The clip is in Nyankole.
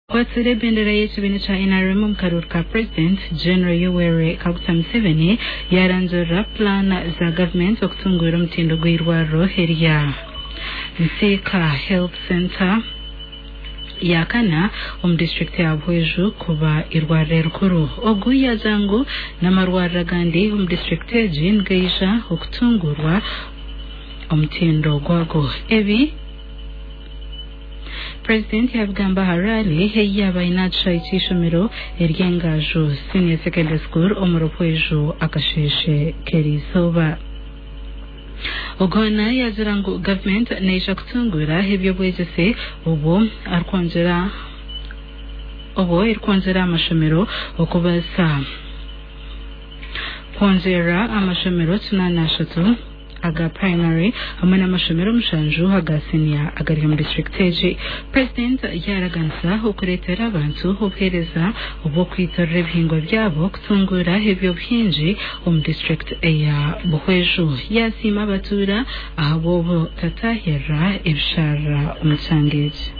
Akwatsire ebendera y'ekibiina kya NRM omu karuuru ka Purezidenti, General Yoweri Kaguta Museveni yarangirira pulaana za gavumenti okutunguura omutindo gw'eirwariro erya Nsiika Health Centre ya kana omu disiturikiti ya Buhweju kuba eirwariro erikuru. Ogu yaagira ngu n'amarwariro agandi omu disiturikiti egi nigaija okutunguurwa omutindo gwago. Ebi Purezidenti yaabigamba aha raali ei yaaba aine aha kishaayi ky'eishomero ery'Engaaju Senior Secondary School omuri Buhweju akasheeshe k'eriizooba. Ogona yaagira ngu gavumenti neija kutunguura eby'obwegyese obwo arikwongyera obwo erikwongyera aha mashomero okubaasa kwongyera amashomero 83 aga primary hamwe n'amashomero mushanju aga siniya agari omu disiturikiti egi. Purezidenti yaaraganisa okureetera abantu obuheereza obw'okwitorera ebihingwa byabo kutunguura eby'obuhingi omu disiturikiti eya Buhweju. Yaasiima abatuura ahabw'obutatahirira ebisharara omu kyanga eki.